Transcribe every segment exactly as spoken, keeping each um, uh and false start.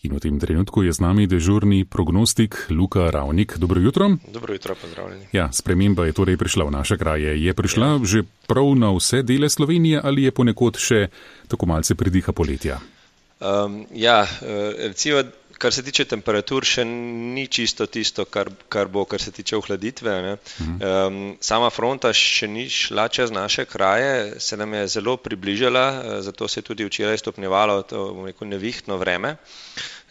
In v tem trenutku je z nami dežurni prognostik Luka Ravnik. Dobro jutro. Dobro jutro, pozdravljeni. Ja, sprememba je torej prišla v naše kraje. Je prišla ja. že prav na vse dele Slovenije ali je ponekod še tako malce pridiha poletja? Um, ja, recimo, kar se tiče temperatur, še ni čisto tisto, kar, kar bo, kar se tiče ohladitve. Ne? Um, sama fronta še ni šla čez naše kraje, se nam je zelo približala, zato se je tudi včeraj stopnjevalo to neko nevihtno vreme.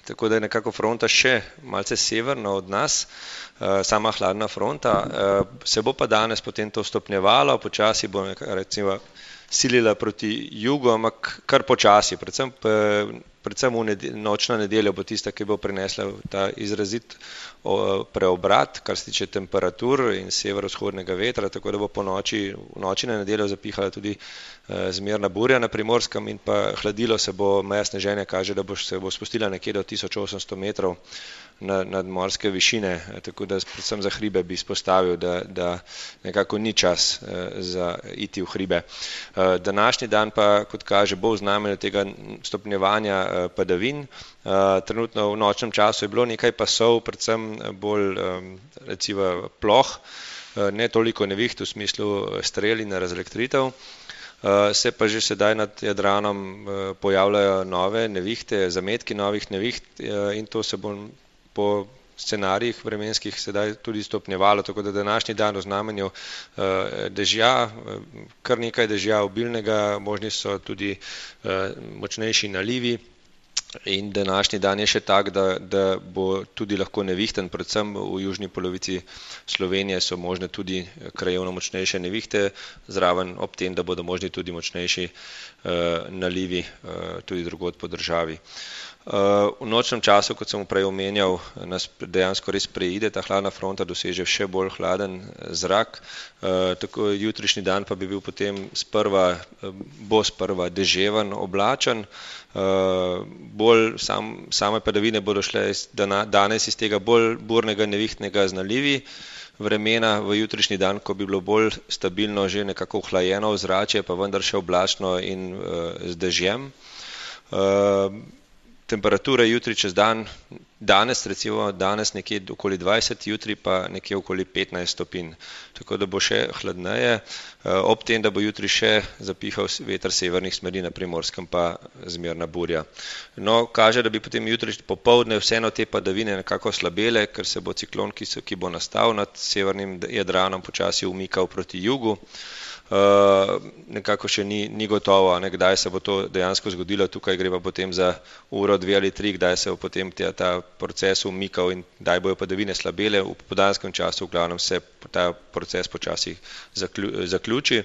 Tako da je nekako fronta še malce severno od nas, sama hladna fronta. Se bo pa danes potem to stopnjevalo, počasi bo recimo silila proti jugu, ampak kar počasi, predvsem, predvsem v nedel, nočna nedelja bo tista, ki bo prinesla ta izrazit preobrat, kar se tiče temperatur in severovzhodnega vetra, tako da bo po noči, v noči na nedeljo zapihala tudi zmerna burja na Primorskem in pa hladilo se bo, meja sneženja kaže, da bo se bo spustila nekje do tisoč osemsto metrov nad, nad morske višine, tako da predvsem za hribe bi izpostavil, da, da nekako ni čas za iti v hribe. Današnji dan pa, kot kaže, bo v znamenju tega stopnjevanja padavin. Trenutno v nočnem času je bilo nekaj pasov, predvsem bolj recimo ploh, ne toliko neviht v smislu strel in razelektritev. Se pa že sedaj nad Jadranom pojavljajo nove nevihte, zametki novih neviht in to se bo po scenarijih vremenskih sedaj tudi stopnjevalo, tako da današnji dan v znamenju dežja, kar nekaj dežja obilnega, možni so tudi močnejši nalivi. In današnji dan je še tak, da, da bo tudi lahko nevihten, predvsem v južni polovici Slovenije so možne tudi krajevno močnejše nevihte, zraven ob tem, da bodo možni tudi močnejši uh, nalivi uh, tudi drugod po državi. Uh, v nočnem času, kot sem prej omenjal, nas dejansko res preide, ta hladna fronta doseže še bolj hladen zrak, uh, tako jutrišnji dan pa bi bil potem sprva, bo sprva deževen, oblačen, uh, bolj sam, same padavine bodo šle iz dana, danes iz tega bolj burnega nevihtnega z nalivi vremena v jutrišnji dan, ko bi bilo bolj stabilno, že nekako ohlajeno ozračje, pa vendar še oblačno in uh, z dežjem. Uh, Temperature jutri čez dan, danes recimo danes nekje okoli dvajset, jutri pa nekje okoli petnajst stopinj, tako da bo še hladneje, ob tem, da bo jutri še zapihal veter severnih smeri na Primorskem pa zmerna burja. No, kaže, da bi potem jutri popoldne vseeno te padavine nekako slabele, ker se bo ciklon, ki, so, ki bo nastal nad severnim Jadranom, počasi umikal proti jugu. Uh, nekako še ni, ni gotovo, ne, kdaj se bo to dejansko zgodilo, tukaj gre pa potem za uro, dve ali tri, kdaj se bo potem ta, ta proces umikal in kdaj bojo padavine slabele, v popoldanskem času v glavnem se ta proces počasi zaklju, zaključi.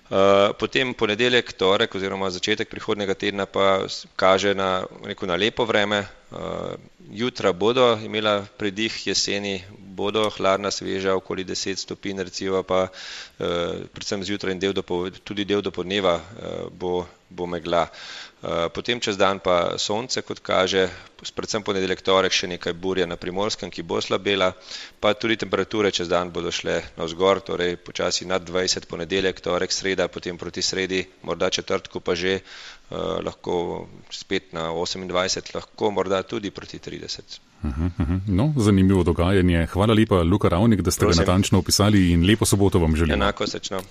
Uh, potem ponedeljek, torek oziroma začetek prihodnega tedna pa kaže na, rekel, na lepo vreme. Uh, jutra bodo imela pridih jeseni, bodo hladna, sveža, okoli deset stopinj, recimo pa uh, predvsem zjutraj in del do, tudi del do podneva uh, bo, bo megla. Uh, potem čez dan pa sonce, kot kaže, predvsem ponedeljek, torek še nekaj burja na Primorskem, ki bo slabela, pa tudi temperature čez dan bodo šle navzgor, torej počasi nad dvajset ponedeljek, torek, sreda, potem proti sredi, morda četrtku pa že uh, lahko spet na osemindvajset, lahko morda tudi proti trideset. Uh-huh, uh-huh. No, zanimivo dogajanje. Hvala lepa, Luka Ravnik, da ste Prosim. ga natančno opisali in lepo soboto vam želim. Enako srečno.